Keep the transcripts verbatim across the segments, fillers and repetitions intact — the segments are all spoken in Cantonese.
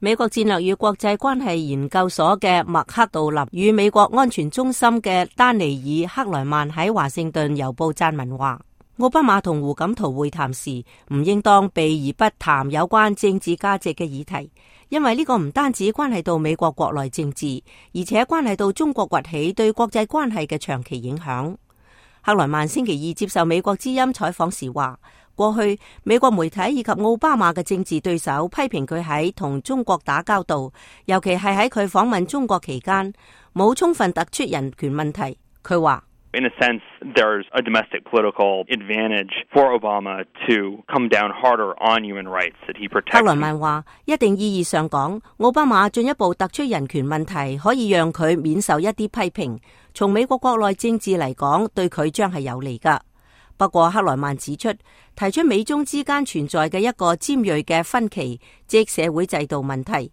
美國戰略與國際關係研究所嘅麥克道林與美國安全中心嘅丹尼爾克萊曼喺華盛頓郵報撰文話，奧巴馬同胡錦濤會談時唔應當避而不談有關政治價值嘅議題，因為呢個唔單止關係到美國國內政治，而且關係到中國崛起對國際關係嘅長期影響。克萊曼星期二接受美國之音採訪時話，過去美國媒體以及奧巴馬嘅政治對手批評佢喺同中國打交道，尤其係喺佢訪問中國期間冇充分突出人權問題。佢話In a sense, there's a domestic political advantage for Obama to come down harder on human rights that he protects. 克萊曼話，一定意義上講，奧巴馬進一步突出人權問題，可以讓佢免受一啲批評。從美國國內政治嚟講，對佢將係有利噶。不過，克萊曼指出，提出美中之間存在嘅一個尖銳嘅分歧，即社會制度問題，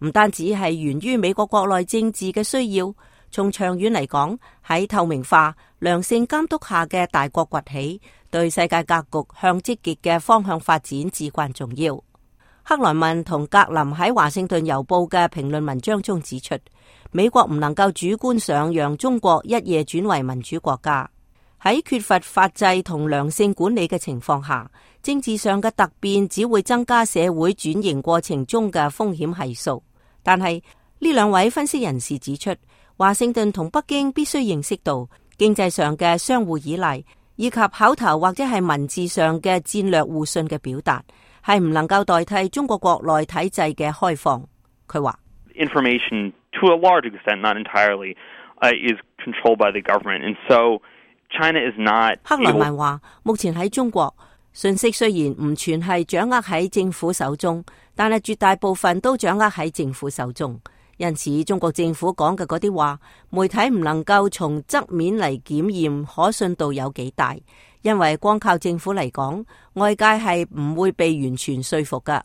唔單止係源於美國國內政治嘅需要，從長遠嚟講，喺透明化、良性監督下嘅大國崛起，對世界格局向積極嘅方向發展至關重要。克萊曼同格林喺華盛頓郵報嘅評論文章中指出，美國唔能夠主觀上讓中國一夜轉為民主國家。喺缺乏法制同良性管理嘅情況下，政治上嘅突變只會增加社會轉型過程中嘅風險係數。但係呢兩位分析人士指出，華盛頓同北京必須認識到經濟上嘅相互依賴，以及口頭或者係文字上嘅戰略互信嘅表達，係唔能夠代替中國國內體制嘅開放。佢話 Information to a large extent, not entirely, uh, is controlled by the government, and so China is not. 克萊曼話，目前喺中國，信息雖然唔全係掌握喺政府手中，但係絕大部分都掌握喺政府手中。因此，中國政府講嘅嗰啲話，媒體唔能夠從側面嚟檢驗可信度有幾大，因為光靠政府嚟講，外界係唔會被完全說服噶。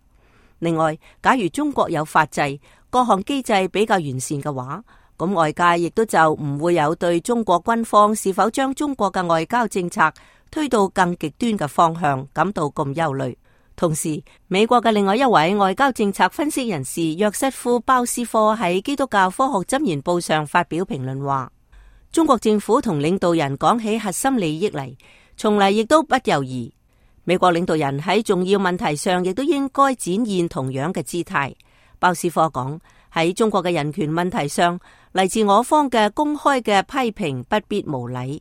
另外，假如中國有法制，各項機制比較完善嘅話，咁外界亦都就唔會有對中國軍方是否將中國嘅外交政策推到更極端嘅方向感到咁憂慮。同時，美國嘅另外一位外交政策分析人士約瑟夫·鮑斯科喺基督教科學箴言報上發表評論話，中國政府同領導人講起核心利益嚟，從嚟亦都不猶豫。美國領導人喺重要問題上亦都應該展現同樣嘅姿態。鮑斯科講，喺中國嘅人權問題上，嚟自我方嘅公開嘅批評不必無禮，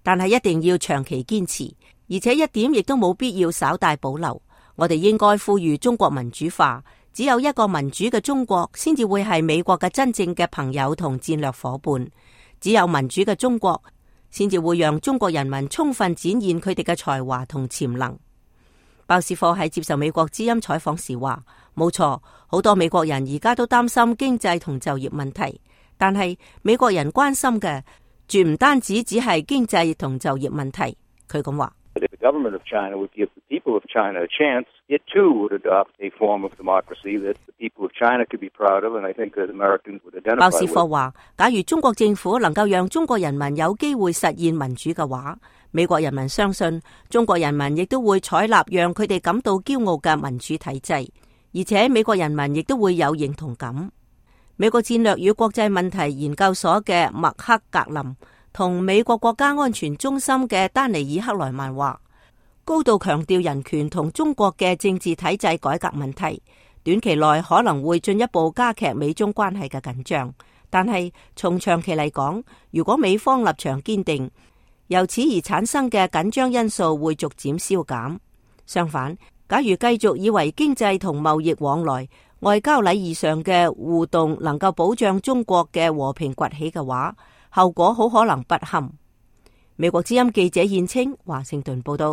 但係一定要長期堅持，而且一點亦都冇必要稍帶保留。我哋應該呼籲中國民主化，只有一個民主嘅中國先至會係美國嘅真正嘅朋友同戰略夥伴。只有民主嘅中國先至會讓中國人民充分展現佢哋嘅才華同潛能。鮑斯科喺接受美國之音採訪時話，冇錯，好多美國人而家都擔心經濟同就業問題，但係美國人關心嘅絕唔單止只係經濟同就業問題。佢咁話。If the government of China would give the people of China a chance, it too would adopt a form of democracy that the people of China could be proud of, and I think that Americans would identify with. 鮑斯科話，假如中國政府能夠讓中國人民有機會實現民主嘅話，美國人民相信中國人民亦都會採納讓佢哋感到驕傲嘅民主體制，而且美國人民亦都會有認同感。美國戰略與國際問題研究所嘅麥克格林同美國國家安全中心嘅丹尼爾克萊曼話，高度強調人權同中國嘅政治體制改革問題，短期內可能會進一步加劇美中關係嘅緊張。但係從長期嚟講，如果美方立場堅定，由此而產生嘅緊張因素會逐漸消減。相反，假如繼續以為經濟同貿易往來、外交禮儀上嘅互動能夠保障中國嘅和平崛起嘅話，後果好可能不堪。美國之音記者燕青華盛頓報道。